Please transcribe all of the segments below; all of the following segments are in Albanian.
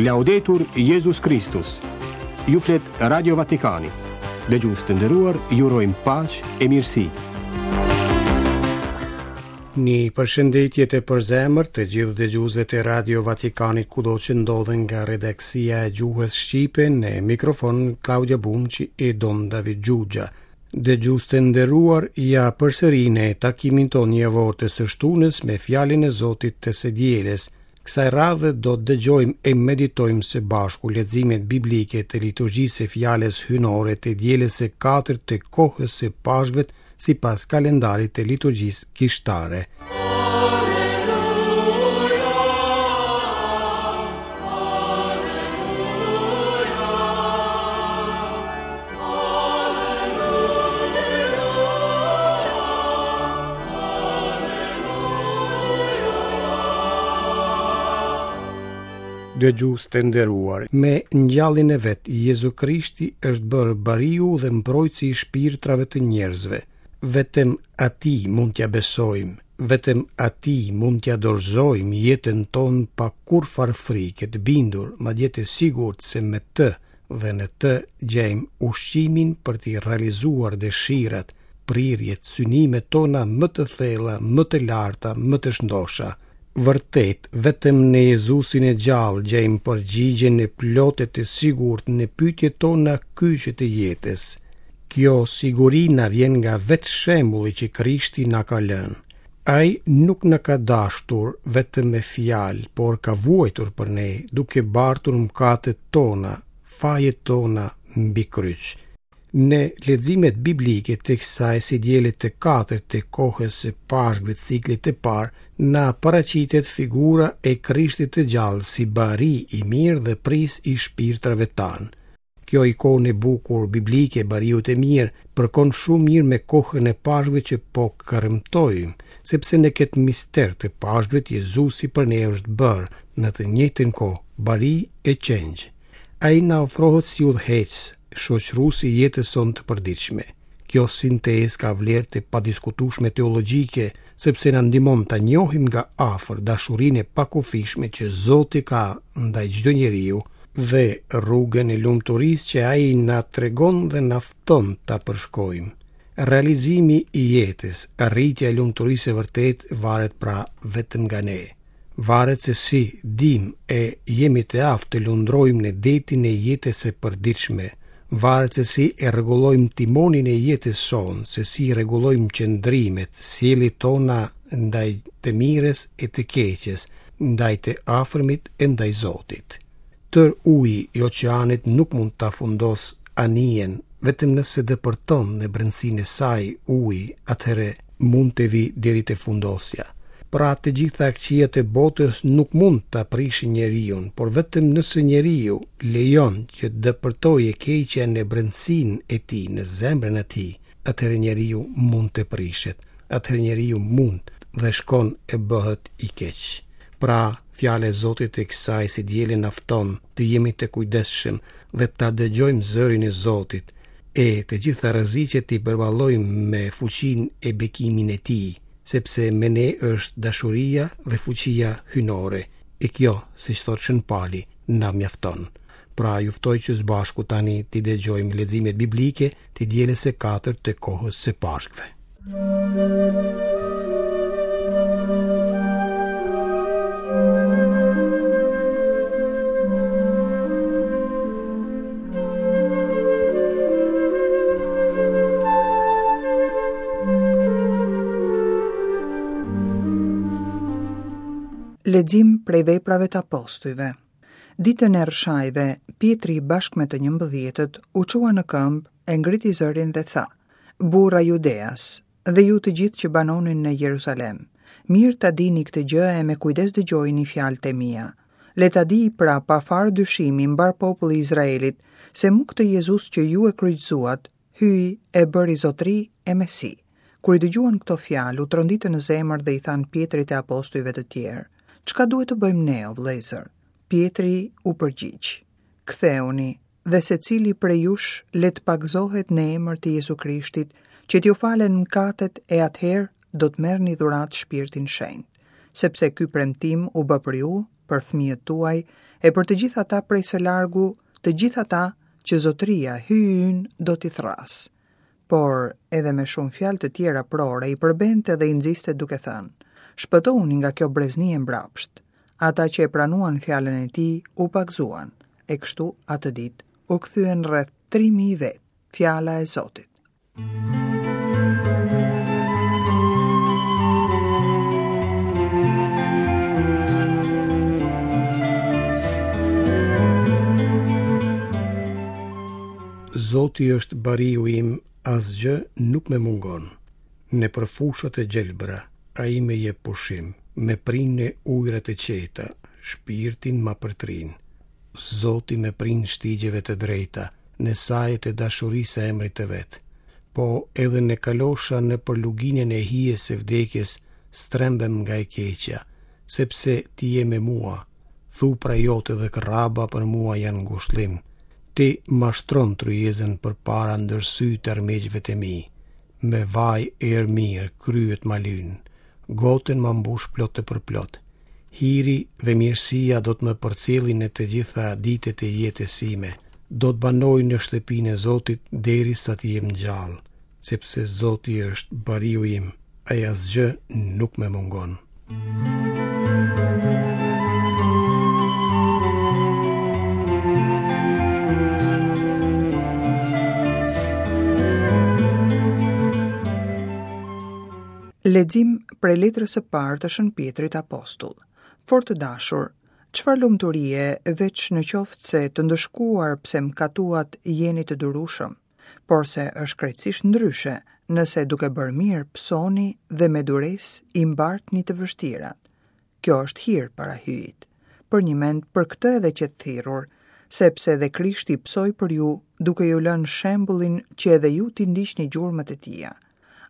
Laudetur Jezus Kristus. Ju flet Radio Vatikani. Dëgjues të nderuar, ju urojmë paqe e mirësi. Një përshëndetje të përzemërt të gjithë dëgjuesve të Radio Vatikanit kudo që ndodhen nga redaksia e gjuhës shqipe në mikrofon Klaudia Bumçi e Dom David Xhuxha. Dëgjues të nderuar, ja përsëri në takimin tonë javor të së shtunës me fjalën e Zotit të së dielës. Kësaj radhe do të dëgjojmë e meditojmë së bashku leximet biblike të liturgjisë së fjalës hyjnore të dielës së katërt të kohës së Pashkëve sipas kalendarit të liturgjisë kishtare. Dëgjues të nderuar, me ngjalljen e vet, Jezu Krishti është bërë bariu dhe mbrojtësi i shpirtrave të njerëzve. Vetëm atij mund t'ia besojmë, vetëm atij mund t'ia dorëzojmë jetën tonë pa kurrfarë frike, të bindur, madje të sigurt se me të dhe në të gjejmë ushqimin për t'i realizuar dëshirat, prirjet, synimet tona më të thella, më të larta, më të shndosha. Vërtet, vetëm në Jezusin e gjallë gjejmë përgjigjen e plotë e të sigurt në pyetjet tona kyçe të jetës. Kjo siguri na vjen nga vetë shembulli që Krishti na ka lënë. Ai nuk na ka dashtur vetëm me fjalë, por ka vuajtur për ne, duke bartur mëkatet tona, fajet tona mbi kryq. Në leximet biblike të kësaj së diele të katërt të kohës së Pashkëve të ciklit të parë, na paraqitet figura e Krishtit të gjallë si bari i mirë dhe prijës i shpirtrave tanë. Kjo ikonë e bukur biblike e bariut të mirë përkon shumë mirë me kohën e Pashkëve që po kremtojmë, sepse në këtë mister të Pashkëve Jezusi për ne është bërë në të njëjtën kohë bari e qengj. Ai na ofrohet si udhëheqës, shoqërues i jetës sonë të përditshme. Kjo sintezë ka vlerë të padiskutueshme teologjike, sepse na ndihmon ta njohim nga afër dashurinë e pakufishme që Zoti ka ndaj çdo njeriu dhe rrugën e lumturisë që ai na tregon dhe na fton ta përshkojmë. Realizimi i jetës, arritja e lumturisë së vërtetë varet pra vetëm nga ne. Varet se si dimë e jemi të aftë të lundrojmë në detin e jetës së përditshme, varet se si e rregullojmë timonin e jetës sonë, se si rregullojmë qëndrimet, sjelljet tona ndaj të mirës e të keqes, ndaj të afërmit e ndaj Zotit. Tërë uji i oqeanit nuk mund ta fundosë anijen, vetëm nëse depërton në brendësinë e saj uji, atëherë mund të vijë deri te fundosja. Pra të gjitha këqijat e botës nuk mund ta prishin njeriun, por vetëm nëse njeriu lejon që të depërtojë e keqja në brendësinë e tij, në zemrën e tij, atëherë njeriu mund të prishet, atëherë njeriu mund dhe shkon e bëhet i keq. Pra, fjala e Zotit e kësaj së diele na fton të jemi të kujdesshëm dhe ta dëgjojmë zërin e Zotit, e të gjitha rreziqet t'i përballojmë me fuqinë e bekimin e Tij, sepse me ne është dashuria dhe fuqia hyjnore, e kjo, siç thotë Shën Pali, na mjafton. Pra, ju ftoj që së bashku tani t'i dëgjojmë leximet biblike të dielës së katërt të kohës së Pashkëve. Lexim prej veprave të apostujve. Ditën e Rrëshajve, Pjetri bashkë me të njëmbëdhjetët u çua në këmbë, e ngriti zërin dhe tha: Burra judeas, dhe ju të gjithë që banoni në Jeruzalem, mirë ta dini këtë gjë e me kujdes dëgjojini fjalët e mia. Le ta dijë pra pa farë dyshimi mbarë populli i Izraelit, se mu këtë Jezus që ju e kryqëzuat, Hyji e bëri Zotëri e Mesi. Kur i dëgjuan këto fjalë, u tronditën në zemër dhe i thanë Pjetrit e apostujve të tjerë, Çka duhet të bëjmë ne, o vëllezër? Pjetri u përgjigj, Kthehuni, dhe secili prej jush le të pagëzohet në emër të Jezu Krishtit, që t'ju falen mëkatet e atëherë do të merrni dhuratë Shpirtin Shenjt. Sepse ky premtim u bë për ju, për fëmijët tuaj E për të gjithë ata prej së largu, të gjithë ata që Zotëria, Hyji ynë, do t'i thërrasë. Por edhe me shumë fjalë të tjera prore i përbente dhe i nxiste duke thënë, Shpëtohuni nga kjo brezni e mbrapshtë. Ata që e pranuan fjalën e tij u pagëzuan, e kështu atë ditë u kthyen rreth 3000 vetë. Fjala e Zotit. Zoti është bariu im, asgjë nuk më mungon. Nëpër fushat e gjelbra, ai më jep pushim, më prin në ujërat e qeta, shpirtin ma përtrin. Zoti më prin shtigjeve të drejta, në saje të dashurisë së emrit të vet. Po edhe në kalosha nëpër luginën e hijes së vdekjes, s'trembem nga e keqja, sepse ti je me mua, thupra jote dhe kërraba për mua janë ngushllim. Ti ma shtron tryezën përpara ndër sytë e armiqve të mi. Me vaj erë mirë kryet ma lyn, gotën ma mbush plot e përplot. Hiri dhe mirësia do të më përcjellin në të gjitha ditët e jetës sime. Do të banoj në shtëpinë e Zotit derisa të jem gjallë, sepse Zoti është bariu im, e asgjë nuk më mungon. Lexim prej letrës së parë të Shën Pjetrit Apostull. Fort të dashur, çfarë lumturie veç në qoftë se të ndëshkuar pse mëkatuat jeni të durueshëm, porse është krejtësisht ndryshe nëse duke bërë mirë pësoni dhe me duresë i mbartni të vështirat. Kjo është hir para Hyjit. Përnjëmend për këtë edhe qetë thirrur, sepse dhe Krishti pësoi për ju duke ju lënë shembullin që edhe ju t'i ndiqni gjurmët e tija.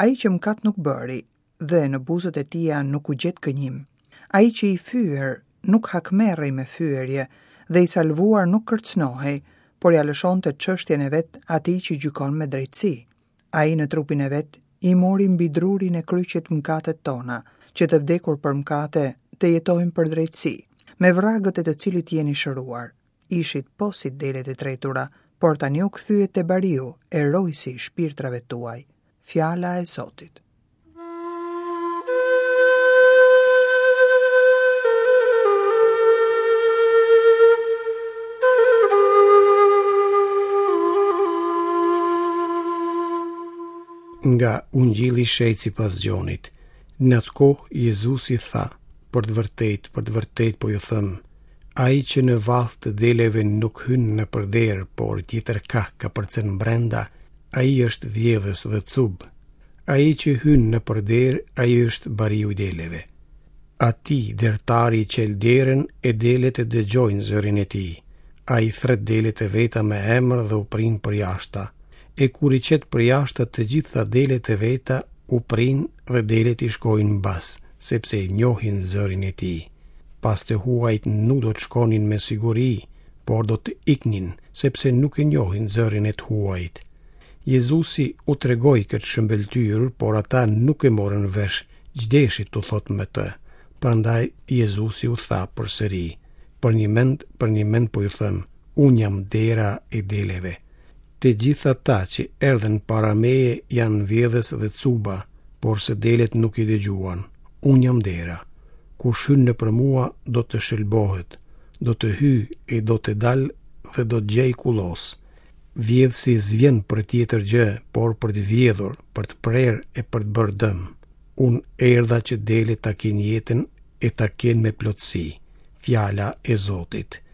Ai që mëkat nuk bëri dhe në buzët e tija nuk u gjet gënjim. Ai që i fyer nuk hakmerrej me fyerje dhe i salvuar nuk kërcënohej, por ia lëshonte çështjen e vet atij që gjykon me drejtësi. Ai në trupin e vet i mori mbi drurin e kryqit mëkatet tona, që të vdekur për mëkate të jetojmë për drejtësi, me vragët e të cilit jeni shëruar. Ishit po si delet e tretura, por tani u kthyet te bariu e rojësi i shpirtrave tuaj. Fjala e Zotit. Nga Ungjilli i Shenjtë sipas Gjonit. Në atë kohë Jezusi tha: Për të vërtetë, për të vërtetë po ju them, ai që në vathë të deleve nuk hyn nëpër derë, por tjetër kah kapërcen brenda, ai është vjedhës dhe cub. Ai që hyn nëpër derë, ai është bariu i deleve. Atij dertari i çel derën e delet e dëgjojnë zërin e tij. Ai thërret delet e veta me emër dhe u prin përjashta. E kur i qet përjashta të gjitha delet e veta, u prin dhe delet i shkojnë mbas, sepse e njohin zërin e tij. Pas të huajt nuk do të shkonin me siguri, por do të iknin, sepse nuk e njohin zërin e të huajit. Jezusi u tregoi këtë shëmbëlltyrë, por ata nuk e morën vesh ç'deshi t'u thotë me të. Prandaj Jezusi u tha përsëri, Përnjëmend, përnjëmend po ju them, unë jam dera e deleve. Të gjithë ata që erdhën para meje janë vjedhës dhe cuba, porse delet nuk i dëgjuan. Unë jam dera. Kush hyn nëpër mua do të shëlbohet, do të hyjë e do të dalë dhe do të gjejë kullosë. Vjedhësi s'vjen për tjetër gjë, por për të vjedhur, për të prerë e për të bërë dëm. Unë erdha që delet ta kenë jetën e ta kenë me plotësi. Fjala e Zotit.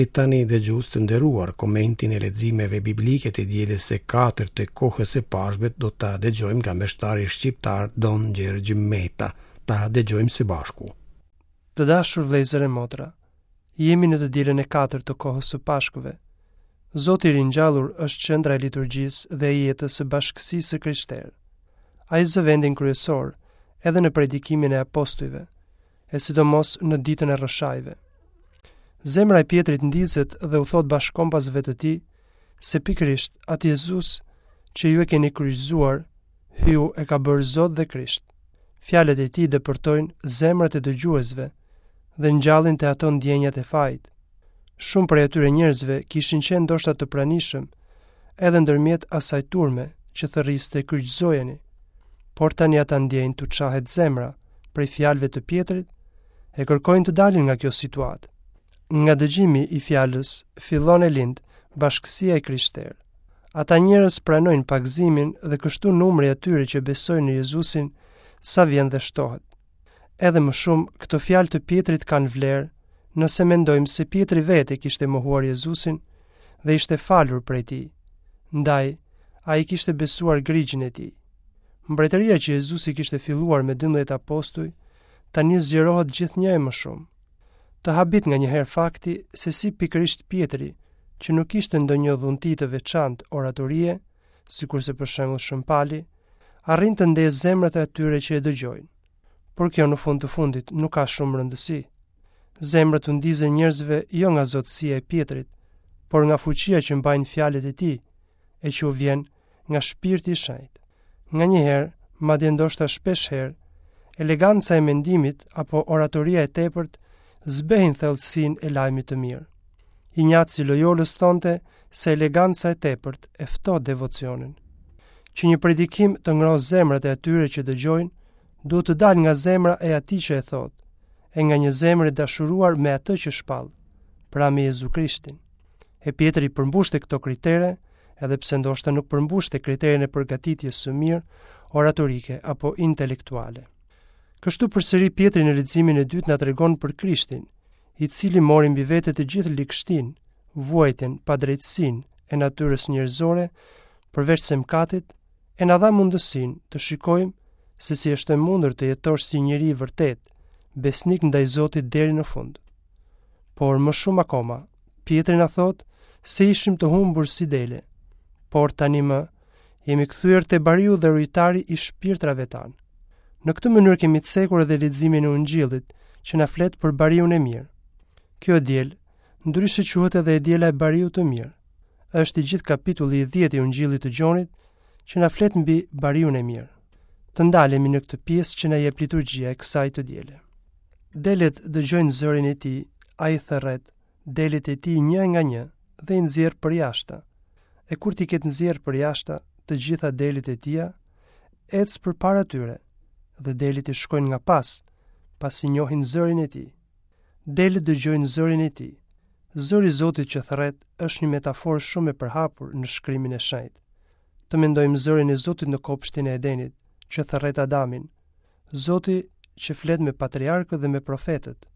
E tani dëgjues të nderuar, komentin e leximeve biblike të dielës së katërt të kohës së Pashkëve do ta dëgjojmë nga meshtari shqiptar Don Gjergj Meta. Ta dëgjojmë së bashku. Të dashur vëllezër e motra, jemi në të dielën e katërt të kohës së Pashkëve. Zoti i ringjallur është qendra e liturgjisë dhe e jetës së bashkësisë së krishterë. Ai zë vendin kryesor edhe në predikimin e apostujve, e sidomos në ditën e rrëshajve. Zemra e Pjetrit ndizet dhe u thotë bashkëkombasve të tij. se pikërisht atë Jezus që ju e keni kryqëzuar, Hyju e ka bërë Zot dhe Krisht. Fjalët e tij depërtojnë zemrat e dëgjuesve dhe ngjallin te ato ndjenjat e fajit. Shumë prej atyre njerëzve kishin qenë ndoshta të pranishëm edhe ndërmjet asaj turme që thërriste kryqëzojeni. Por tani ata ndjejnë t'u çahet zemra prej fjalëve të Pjetrit e kërkojnë të dalin nga kjo situatë. Nga dëgjimi i fjalës fillon e lind bashkësia e krishterë. Ata njerëz pranojnë pagëzimin dhe kështu numri i atyre që besojnë në Jezusin sa vjen dhe shtohet. Edhe më shumë, këto fjalë të Pjetrit kanë vlerë, nëse mendojmë se Pjetri vetë e kishte mohuar Jezusin dhe ishte falur prej tij. Ndaj, ai kishte besuar grigjin e tij. Mbretëria që Jezusi kishte filluar me 12 apostuj, tani zgjerohet gjithnjë e më shumë. Të habit nganjëherë fakti se si pikërisht Pjetri, që nuk kishte ndonjë dhunti të veçantë oratorie, sikurse për shembull Shën Pali, arrin të ndezë zemrat e atyre që e dëgjojnë. Por kjo në fund të fundit nuk ka shumë rëndësi. Zemrat u ndizen njerëzve jo nga zotësia e Pjetrit, por nga fuqia që mbajnë fjalët e tij, e që u vjen nga shpirti i shenjtë. Nganjëherë, madje ndoshta shpeshherë, eleganca e mendimit apo oratoria e tepërt zbehin thellësinë e lajmit të mirë. Injaci i Lojolës thonte se eleganca e tepërt e ftoh devocionin. Që një predikim të ngrohë zemrat e atyre që dëgjojnë, duhet të dalë nga zemra e atij që e thotë, e nga një zemër e dashuruar me atë që shpall, pra me Jezu Krishtin. E Pjetri përmbushte këto kritere, edhe pse ndoshta nuk përmbushte kriterin e përgatitjes së mirë oratorike apo intelektuale. Kështu përsëri Pjetri në leximin e dytë na tregon për Krishtin, i cili mori mbi vete të gjithë ligështinë, vuajtjen, padrejtësinë e natyrës njerëzore, përveç se mëkatit, e na dha mundësinë të shikojmë se si është e mundur të jetosh si njeri i vërtetë, besnik ndaj Zotit deri në fund. Por më shumë akoma, Pjetri na thotë se ishim të humbur si dele, por tani më jemi kthyer te bariu dhe rujtari i shpirtrave tanë. Në këtë mënyrë kemi cekur edhe leximin e Ungjillit që na flet për bariun e mirë. Kjo e diel, ndryshe quhet edhe e diela e bariut të mirë. Është i gjithë kapitulli i 10 i Ungjillit të Gjonit që na flet mbi bariun e mirë. Të ndalemi në këtë pjesë që na jep liturgjia e kësaj të diele. Delet dëgjojnë zërin e tij, ai thërret delet e tij një nga një dhe i nxjerr përjashta. E kur t'i ketë nxjerrë përjashta të gjitha delet e tija, ec përpara tyre dhe delet i shkojnë nga pas, pasi njohin zërin e tij. Delet dëgjojnë zërin e tij. Zëri i Zotit që thërret është një metaforë shumë e përhapur në shkrimin e shenjtë. Të mendojmë zërin e Zotit në kopshtin e Edenit, që thërret Adamin, Zoti që flet me patriarkët dhe me profetët,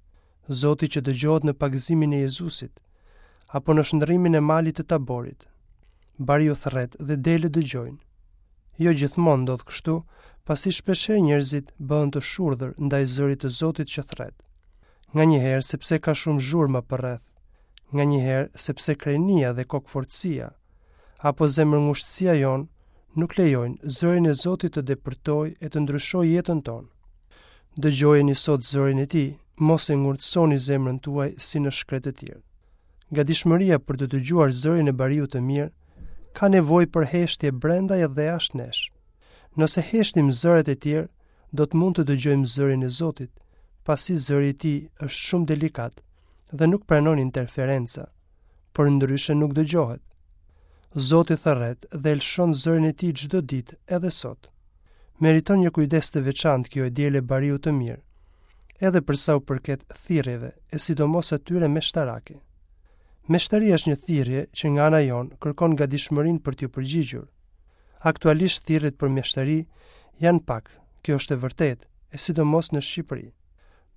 Zoti që dëgjohet në pagëzimin e Jezusit, apo në shndërrimin e malit të Taborit. Bariu thërret dhe delet dëgjojnë. Jo gjithmonë ndodh kështu, pasi shpeshherë njerëzit bëhen të shurdhër ndaj zërit të Zotit që thërret. Nganjëherë sepse ka shumë zhurma përreth, nganjëherë sepse krenia dhe kokëfortësia, apo zemërngushtësia jonë nuk lejojnë zërin e Zotit të depërtojë e të ndryshojë jetën tonë. Dëgjojeni sot zërin e tij, mos e ngurtësoni zemrën tuaj si në shkretëtirë. Gatishmëria për të dëgjuar zërin e bariut të mirë ka nevojë për heshtje brenda dhe jashtë nesh. Nëse heshtim zërat e tjerë, do të mund të dëgjojmë zërin e Zotit, pasi zëri i tij është shumë delikat dhe nuk pranon interferenca. Përndryshe nuk dëgjohet. Zoti thërret dhe e lëshon zërin e tij çdo ditë edhe sot. Meriton një kujdes të veçantë kjo e diel e bariut të mirë, edhe për sa u përket thirrjeve e sidomos atyre meshtarake. Meshtaria është një thirrje që nga ana jonë kërkon gatishmërinë për t'iu përgjigjur. Aktualisht thirrjet për meshtari janë pak, kjo është e vërtetë, e sidomos në Shqipëri.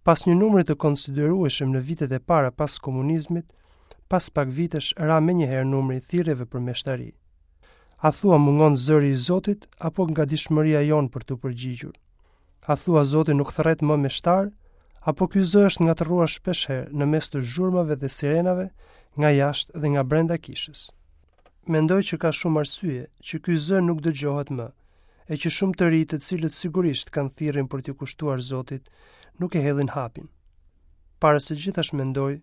Pas një numri të konsiderueshëm në vitet e para pas komunizmit, pas pak vitesh ra menjëherë numri i thirrjeve për meshtari. A thua mungon zëri i Zotit apo gatishmëria jonë për t'u përgjigjur? A thua Zoti nuk thërret më meshtarë apo ky zë është ngatërruar shpeshherë në mes të zhurmave dhe sirenave nga jashtë dhe nga brenda kishës? Mendoj që ka shumë arsye që ky zë nuk dëgjohet më, e që shumë të rinj të cilët sigurisht kanë thirrjen për t'iu kushtuar Zotit, nuk e hedhin hapin. Para së gjithash mendoj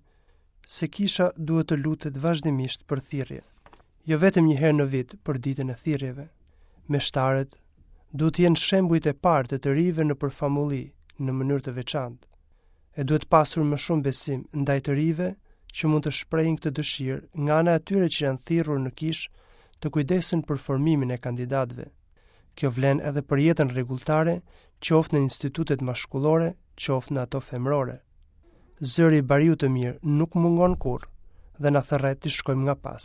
se kisha duhet të lutet vazhdimisht për thirrje. Jo vetëm një herë në vit për ditën e thirrjeve. Meshtarët duhet të jenë shembujt e parë të të rinjve nëpër famulli në mënyrë të veçantë. E duhet pasur më shumë besim ndaj të rinjve që mund të shprehin këtë dëshirë nga ana e atyre që janë thirrur në kishë të kujdesen për formimin e kandidatëve. Kjo vlen edhe për jetën rregulltare, qoftë në institutet mashkullore, qoftë në ato femërore. Zëri i bariut të mirë nuk mungon kurrë dhe na thërret t'i shkojmë nga pas.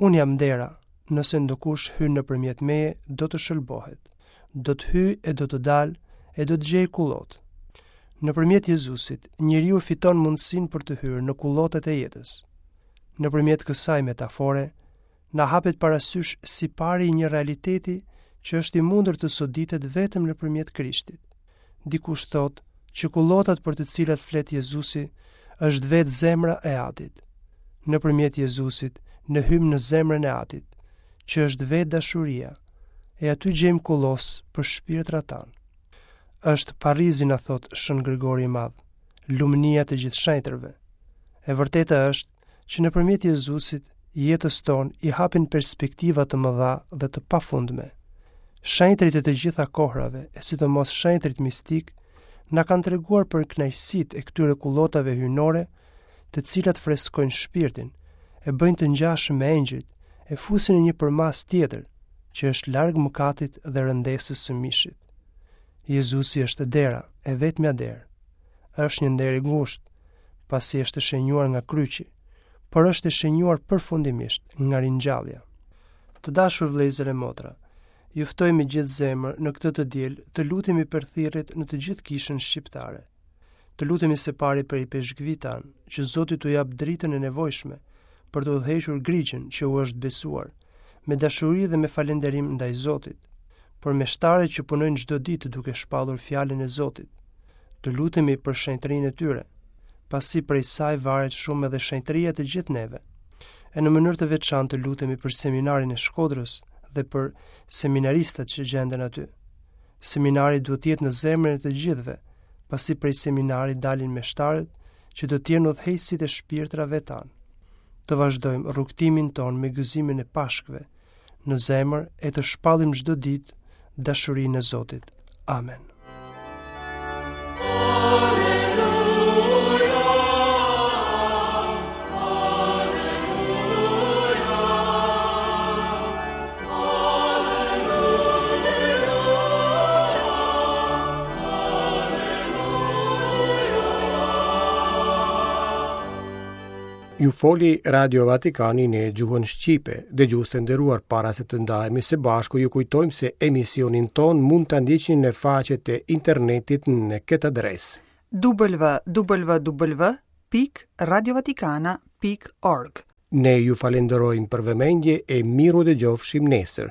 Unë jam dera, nëse ndokush hyn nëpërmjet meje, do të shëlbohet. Do të hyjë e do të dalë e do të gjejë kullotë. Nëpërmjet Jezusit, njeriu fiton mundësinë për të hyrë në kullotat e jetës. Nëpërmjet kësaj metafore, na hapet para sysh sipari i një realiteti që është i mundur të soditet vetëm nëpërmjet Krishtit. Dikush thotë që kullotat për të cilat flet Jezusi është vetë zemra e Atit. Nëpërmjet Jezusit ne hyjmë në zemrën e Atit, që është vetë dashuria, e aty gjejmë kullosë për shpirtrat tanë. Është parrizi na thotë Shën Grigori i Madh, lumnia e të gjithë shenjtërve. E vërteta është që nëpërmjet Jezusit jetës tonë i hapen perspektiva të mëdha dhe të pafundme. Shenjtërit e të gjitha kohrave, e sidomos shenjtërit mistikë, na kanë treguar për kënaqësitë e këtyre kullotave hyjnore, të cilat freskojnë shpirtin, e bëjnë të ngjashëm me engjëjt, e fusin në një përmasë tjetër, që është larg mëkatit dhe rëndesës së mishit. Jezusi është dera, e vetmja derë. Është një derë e ngushtë, pasi është e shenjuar nga kryqi, por është e shenjuar përfundimisht nga ringjallja. Të dashur vëllezër e motra, ju ftoj me gjithë zemër në këtë të diel të lutemi për thirrjet në të gjithë kishën shqiptare. Të lutemi së pari për ipeshkvijtë tanë, që Zoti t'u japë dritën e nevojshme për të udhëhequr grigjën që u është besuar, me dashuri dhe me falënderim ndaj Zotit, për meshtarët që punojnë çdo ditë duke shpallur fjalën e Zotit. Të lutemi për shenjtërinë e tyre, pasi prej saj varet shumë edhe shenjtëria e të gjithë neve. E në mënyrë të veçantë të lutemi për seminarin e Shkodrës dhe për seminaristat që gjenden aty. Seminari duhet të jetë në zemrën e të gjithëve, pasi prej seminarit dalin meshtarët që do të jenë udhëheqësit e shpirtrave tanë. Të vazhdojmë rrugëtimin tonë me gëzimin e Pashkëve në zemër e të shpallim çdo ditë dashurinë e Zotit. Amen. Ju foli Radio Vatikani në gjuhën shqipe. Dëgjues të nderuar para se të ndahemi së bashku, ju kujtojmë se emisionin tonë mund ta ndiqni në faqet e internetit në këtë adresë. www.radiovatikana.org Ne ju falenderojmë për vëmendje e mirudëgjofshim nesër.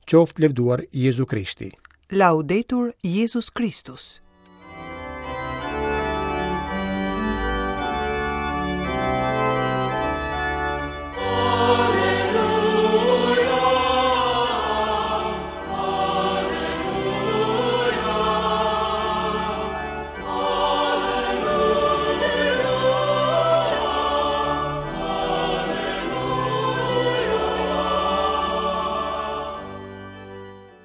Qoftë lëvduar Jezu Krishti. Laudetur Jezus Kristus.